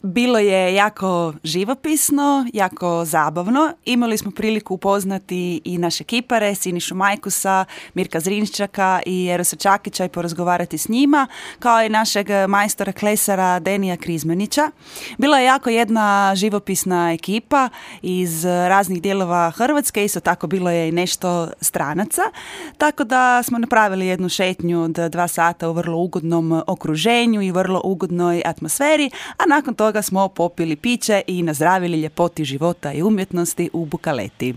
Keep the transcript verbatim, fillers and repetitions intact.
Bilo je jako živopisno, jako zabavno. Imali smo priliku upoznati i naše kipare, Sinišu Majkusa, Mirka Zrinščaka i Erosa Čakića i porazgovarati s njima, kao i našeg majstora klesara Denija Krizmanića. Bila je jako jedna živopisna ekipa iz raznih dijelova Hrvatske, isto tako bilo je i nešto stranaca, tako da smo napravili jednu šetnju od dva sata u vrlo ugodnom okruženju i vrlo ugodnoj atmosferi, a nakon toga smo popili piće i nazdravili ljepoti života i umjetnosti u Bukaleti.